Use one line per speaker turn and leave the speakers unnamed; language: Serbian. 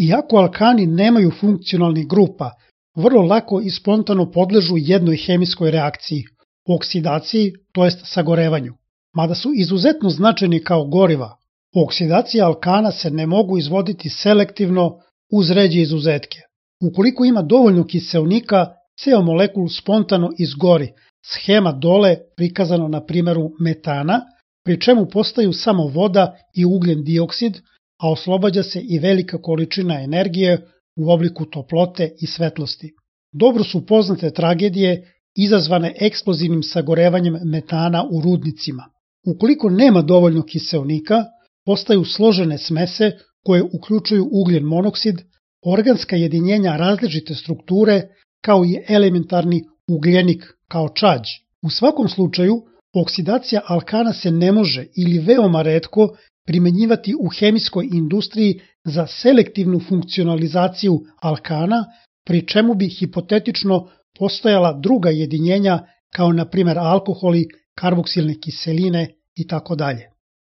Iako alkani nemaju funkcionalnih grupa, vrlo lako i spontano podležu jednoj hemijskoj reakciji, oksidaciji, to jest sagorevanju. Mada su izuzetno značajni kao goriva, oksidacija alkana se ne mogu izvoditi selektivno uz ređe izuzetke. Ukoliko ima dovoljno kiseonika, ceo molekul spontano izgori, schema dole prikazano na primjeru metana, pri čemu postaju samo voda i ugljen dioksid, a oslobađa se i velika količina energije u obliku toplote i svetlosti. Dobro su poznate tragedije izazvane eksplozivnim sagorevanjem metana u rudnicima. Ukoliko nema dovoljno kiseonika, postaju složene smese koje uključuju ugljen monoksid, organska jedinjenja različite strukture, kao i elementarni ugljenik kao čađ. U svakom slučaju, oksidacija alkana se ne može ili veoma retko primenjivati u hemijskoj industriji za selektivnu funkcionalizaciju alkana, pri čemu bi hipotetično postojala druga jedinjenja kao na primjer alkoholi, karboksilne kiseline itd.